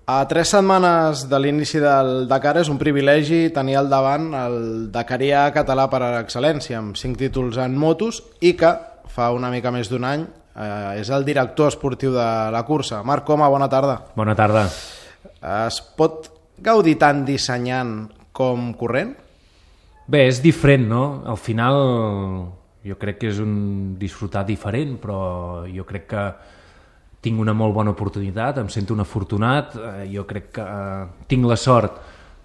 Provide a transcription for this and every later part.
A 3 setmanes de l'inici del Dakar és un privilegi tenir al davant el dakarià català per excel·lència, amb 5 títols en motos, i que fa una mica més d'un any és el director esportiu de la cursa. Marc Coma, bona tarda. Bona tarda. Es pot gaudir tant dissenyant com corrent? Bé, és diferent, no? Al final jo crec que és un disfrutar diferent, però jo crec que tinc una molt bona oportunitat, em sento un afortunat, jo crec que tinc la sort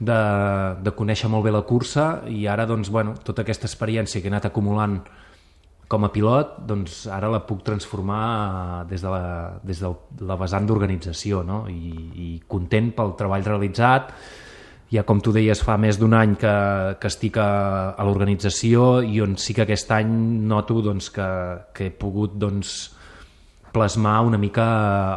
de conèixer molt bé la cursa i ara doncs, bueno, tota aquesta experiència que he anat acumulant com a pilot, doncs ara la puc transformar des de la vessant d'organització, no? I content pel treball realitzat. Ja com tu deies, fa més d'un any que estic a l'organització i on sí que aquest any noto doncs, que he pogut doncs, plasmar una mica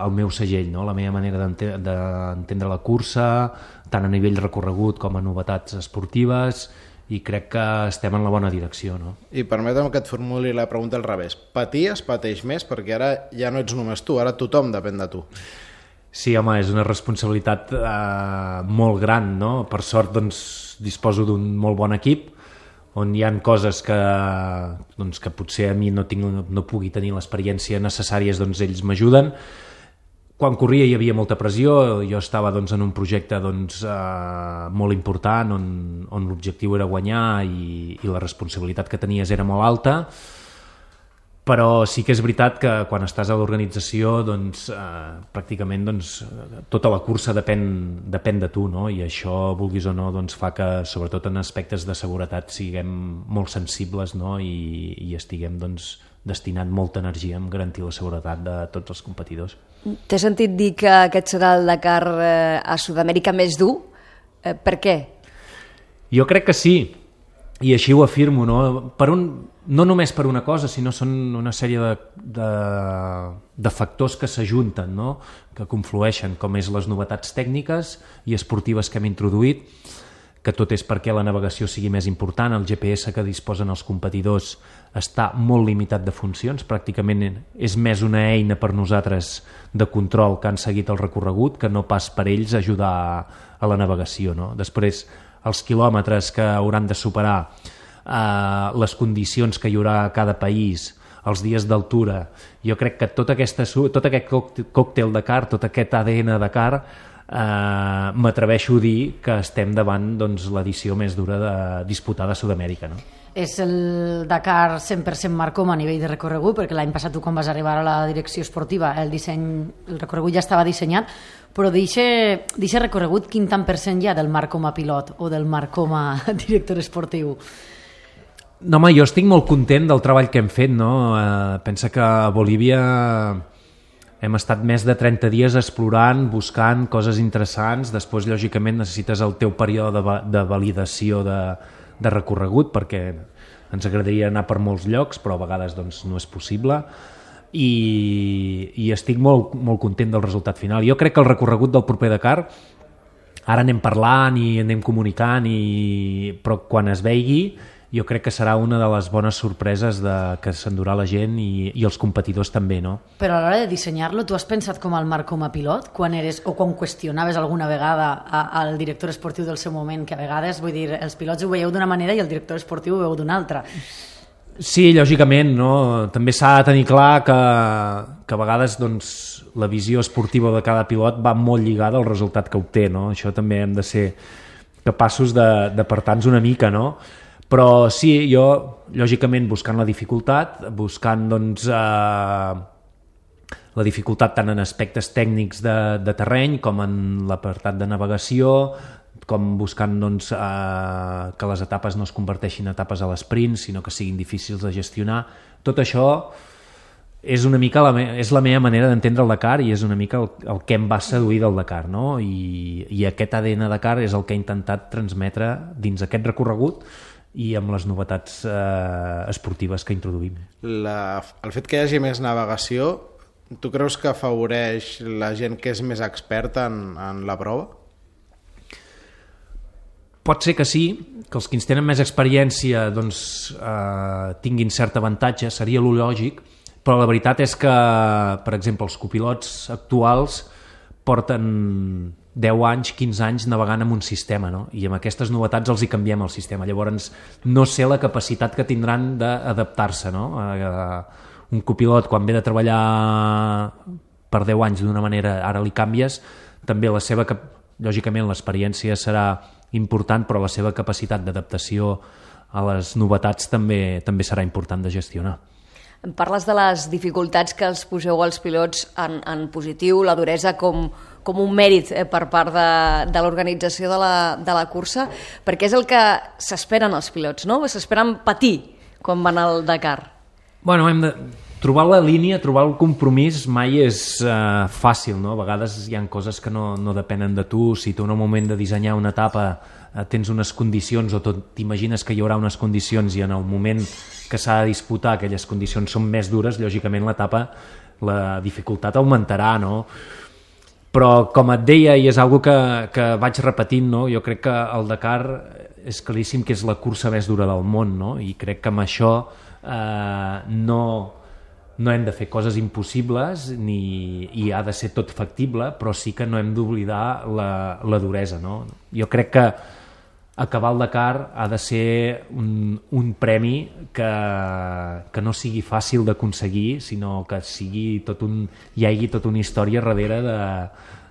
el meu segell, no? La meva manera d'entendre la cursa, tant a nivell recorregut com a novetats esportives, i crec que estem en la bona direcció, no? I permetem que et formuli la pregunta al revés. Paties, pateix més, perquè ara ja no ets només tu, ara tothom depèn de tu. Sí, home, és una responsabilitat molt gran, no? Per sort, doncs, disposo d'un molt bon equip, on hi ha coses que potser a mi no pugui tenir l'experiència necessària, doncs ells m'ajuden. Quan corria hi havia molta pressió, jo estava en un projecte molt important on l'objectiu era guanyar i la responsabilitat que tenies era molt alta, però sí que és veritat que quan estàs a l'organització pràcticament tota la cursa depèn de tu, no? I això, vulguis o no, fa que sobretot en aspectes de seguretat siguem molt sensibles, no? I estiguem destinant molta energia a garantir la seguretat de tots els competidors. T'he sentit dir que aquest serà el Dakar a Sud-amèrica més dur. Per què? Jo crec que sí, i així ho afirmo, no? No només per una cosa, sinó són una sèrie de factors que s'ajunten, no? Que conflueixen, com és les novetats tècniques i esportives que hem introduït, que tot és perquè la navegació sigui més important. El GPS que disposen els competidors està molt limitat de funcions, pràcticament és més una eina per nosaltres de control que han seguit el recorregut que no pas per ells ajudar a la navegació, no? Després, els quilòmetres que hauran de superar, les condicions que hi haurà a cada país, els dies d'altura. Jo crec que tot aquest còctel Dakar, tot aquest ADN Dakar, m'atreveixo a dir que estem davant l'edició més dura disputada a Sud-amèrica, no? És el Dakar 100% Marc Coma a nivell de recorregut, perquè l'any passat tu quan vas arribar a la direcció esportiva el recorregut ja estava dissenyat, però d'aquest recorregut quin tant % hi ha del Marc Coma pilot o del Marc Coma director esportiu? No, home, jo estic molt content del treball que hem fet, no? Pensa que a Bolívia hem estat més de 30 dies explorant, buscant coses interessants. Després, lògicament, necessites el teu període de validació de recorregut, perquè ens agradaria anar per molts llocs, però a vegades no és possible. I estic molt, molt content del resultat final. Jo crec que el recorregut del proper Dakar, ara anem parlant i anem comunicant, però quan es veigui, jo crec que serà una de les bones sorpreses que s'endurà la gent i els competidors també, no? Però a l'hora de dissenyar-lo, tu has pensat com el Marc Coma pilot? Quan qüestionaves alguna vegada al director esportiu del seu moment, que a vegades, vull dir, els pilots ho veieu d'una manera i el director esportiu ho veu d'una altra. Sí, lògicament, no? També s'ha de tenir clar que a vegades la visió esportiva de cada pilot va molt lligada al resultat que obté, no? Això també hem de ser capaços d'apartar-nos una mica, no? Però sí, jo, lògicament, buscant la dificultat, buscant la dificultat tant en aspectes tècnics de terreny com en l'apartat de navegació, com buscant que les etapes no es converteixin en etapes a l'esprint, sinó que siguin difícils de gestionar. Tot això és una mica és la meva manera d'entendre el Dakar i és una mica el que em va seduir del Dakar, no? I aquest ADN Dakar és el que he intentat transmetre dins aquest recorregut i amb les novetats esportives que introduïm. El fet que hi hagi més navegació, tu creus que afavoreix la gent que és més experta en la prova? Pot ser que sí, que els que tenen més experiència tinguin cert avantatge, seria lo lògic, però la veritat és que, per exemple, els copilots actuals porten 10 anys, 15 anys navegant amb un sistema, no? I amb aquestes novetats els hi canviem el sistema. Llavors, no sé la capacitat que tindran d'adaptar-se, no? Un copilot, quan ve de treballar per 10 anys d'una manera, ara li canvies, també lògicament l'experiència serà important, però la seva capacitat d'adaptació a les novetats també serà important de gestionar. Em parles de les dificultats que els poseu als pilots en positiu, la duresa com un mèrit per part de l'organització de la cursa, perquè és el que s'esperen els pilots, no? S'esperen patir quan van al Dakar. Bueno, hem de trobar la línia, trobar el compromís mai és fàcil, no? A vegades hi ha coses que no depenen de tu. Si tu en el moment de dissenyar una etapa tens unes condicions o t'imagines que hi haurà unes condicions i en el moment que s'ha de disputar aquelles condicions són més dures, lògicament l'etapa, la dificultat augmentarà, no? Però com et deia, i és una cosa que vaig repetint, no? Jo crec que el Dakar és claríssim que és la cursa més dura del món, no? I crec que amb això no hem de fer coses impossibles i ha de ser tot factible, però sí que no hem d'oblidar la duresa, no? Jo crec que acabar el Dakar ha de ser un premi que no sigui fàcil d'aconseguir, sinó que hi hagi tota una història darrere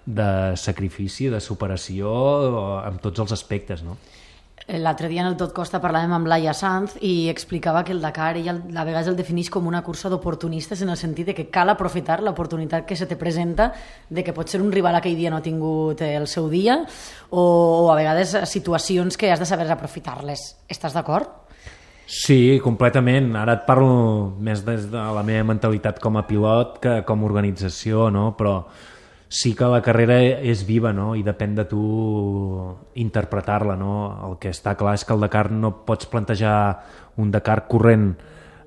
de sacrifici, de superació, en tots els aspectes, no? L'altre dia en el Tot Costa parlàvem amb Laia Sanz i explicava que el Dakar ella a vegades el defineix com una cursa d'oportunistes, en el sentit de que cal aprofitar l'oportunitat que se te presenta, de que potser un rival aquell dia no ha tingut el seu dia, o a vegades situacions que has de saber aprofitar-les. Estàs d'acord? Sí, completament. Ara et parlo més des de la meva mentalitat com a pilot que com a organització, no? Però sí que la carrera és viva, no? I depèn de tu interpretar-la, no? El que està clar és que el Dakar no pots plantejar un Dakar corrent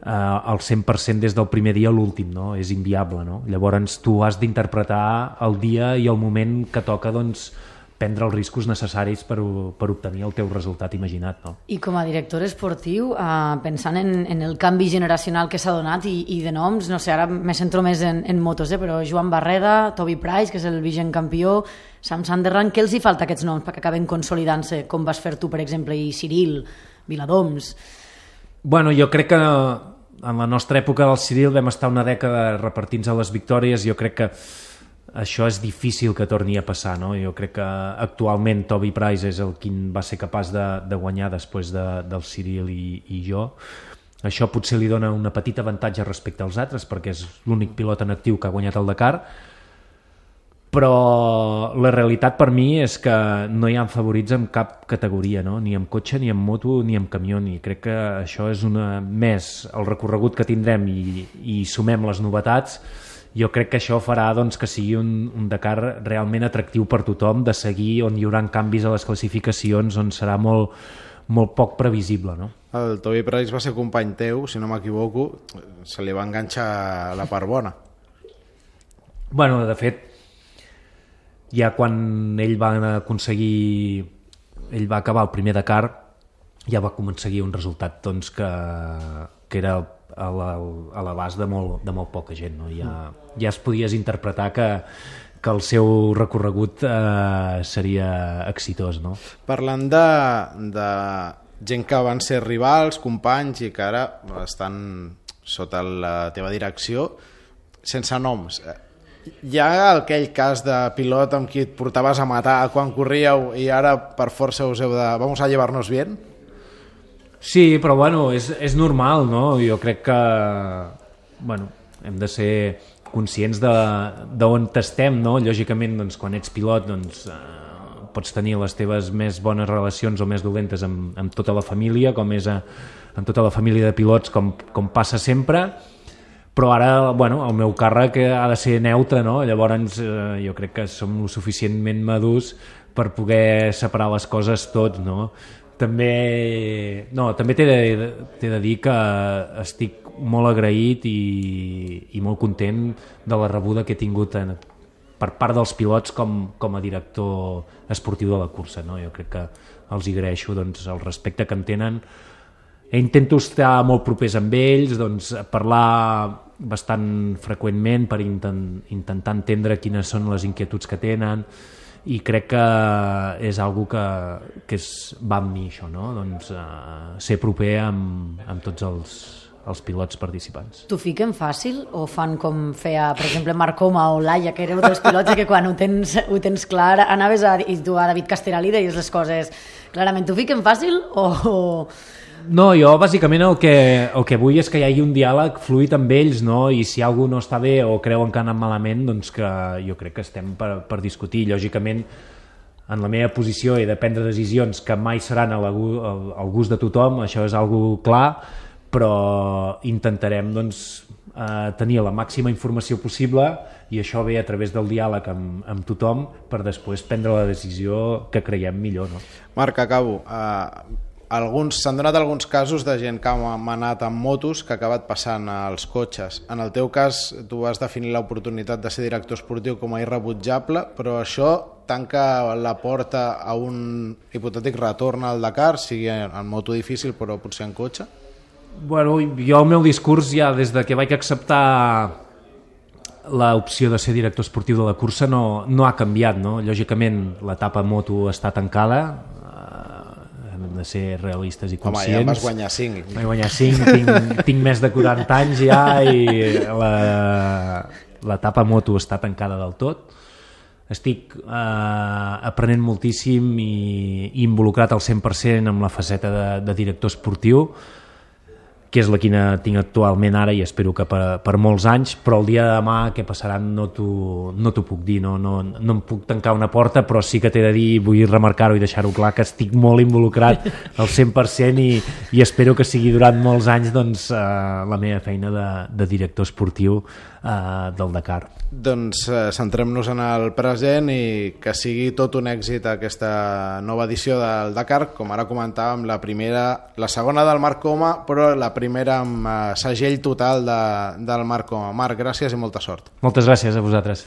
al 100% des del primer dia a l'últim, no? És inviable, no? Llavors tu has d'interpretar el dia i el moment que toca, doncs, prendre els riscos necessaris per obtenir el teu resultat imaginat, no? I com a director esportiu, pensant en el canvi generacional que s'ha donat i de noms, no sé, ara me centro més en motos, però Joan Barreda, Toby Price, que és el vigent campió, Sam Sunderland, què els hi falta a aquests noms perquè acaben consolidant-se, com vas fer tu, per exemple, i Cyril, Viladoms? Bueno, jo crec que en la nostra època del Cyril vam estar una dècada repartint-se les victòries. Jo crec que això és difícil que torni a passar, no? Jo crec que actualment Toby Price és el qui va ser capaç de guanyar després del Cyril i jo. Això potser li dona una petita avantatge respecte als altres perquè és l'únic pilot en actiu que ha guanyat el Dakar, però la realitat per mi és que no hi ha favorits en cap categoria, no? Ni en cotxe, ni en moto, ni en camió, i crec que això és més el recorregut que tindrem i sumem les novetats. Jo crec que això farà, doncs, que sigui un Dakar realment atractiu per tothom, de seguir, on hi haurà canvis a les classificacions, on serà molt, molt poc previsible, no? El Toby Price va ser company teu, si no m'equivoco, se li va enganxar la part bona. Bueno, de fet, ja quan ell va acabar el primer Dakar, ja va aconseguir un resultat, doncs, que era a l'abast de molt poca gent, no? Ja es podies interpretar que el seu recorregut seria exitós, no? Parlant de gent que van ser rivals, companys i que ara estan sota la teva direcció, sense noms, hi ha aquell cas de pilot amb qui et portaves a matar quan corríeu i ara per força us heu de vamos a llevarnos bien? Sí, però bueno, és normal, no? Jo crec que hem de ser conscients d'on estem, no? Lògicament, doncs, quan ets pilot, doncs, pots tenir les teves més bones relacions o més dolentes amb tota la família, com és amb tota la família de pilots, com passa sempre, però ara, el meu càrrec ha de ser neutre, no? Llavors jo crec que som lo suficientment madurs per poder separar les coses tots, no? També t'he de dir que estic molt agraït i molt content de la rebuda que he tingut per part dels pilots com a director esportiu de la cursa, no? Jo crec que els agraeixo, doncs, el respecte que em tenen. Intento estar molt propers amb ells, doncs, parlar bastant freqüentment per intentar entendre quines són les inquietuds que tenen i crec que és algo que va amb mi, això, no? Doncs, ser proper amb tots els pilots participants. T'ho fiquen fàcil o fan com feia, per exemple, Marc Coma o Laia, que éreu dels pilots que quan ho tens clar anaves i tu a David Castellà li deies les coses clarament. T'ho fiquen fàcil o... No, jo bàsicament el que vull és que hi hagi un diàleg fluid amb ells, no? I si algú no està bé o creuen que ha anat malament, doncs que jo crec que estem per discutir. Lògicament, en la meva posició he de prendre decisions que mai seran al gust de tothom, això és algo clar, però intentarem doncs, tenir la màxima informació possible i això ve a través del diàleg amb tothom per després prendre la decisió que creiem millor. No? Marc, acabo. S'han donat alguns casos de gent que ha manat amb motos que ha acabat passant als cotxes. En el teu cas, tu vas definir l'oportunitat de ser director esportiu com a irrebutjable, però això tanca la porta a un hipotètic retorn al Dakar, sigui en moto difícil però potser en cotxe? Bueno, jo el meu discurs ja des de que vaig acceptar l'opció de ser director esportiu de la cursa no ha canviat, no? Lògicament l'etapa moto està tancada, hem de ser realistes i conscients. Home, ja vas guanyar 5. Vaig guanyar 5, tinc més de 40 anys ja i l'etapa moto està tancada del tot. Estic aprenent moltíssim i involucrat al 100% amb la faceta de director esportiu, que és la que tinc actualment ara i espero que per molts anys, però el dia de demà què passarà no t'ho puc dir, no em puc tancar una porta, però sí que t'he de dir, vull remarcar-ho i deixar-ho clar, que estic molt involucrat al 100% i espero que sigui durant molts anys doncs, la meva feina de director esportiu del Dakar. Doncs centrem-nos en el present i que sigui tot un èxit aquesta nova edició del Dakar, com ara comentàvem, la segona del Marc Coma, però la primera amb segell total del Marc Coma. Marc, gràcies i molta sort. Moltes gràcies a vosaltres.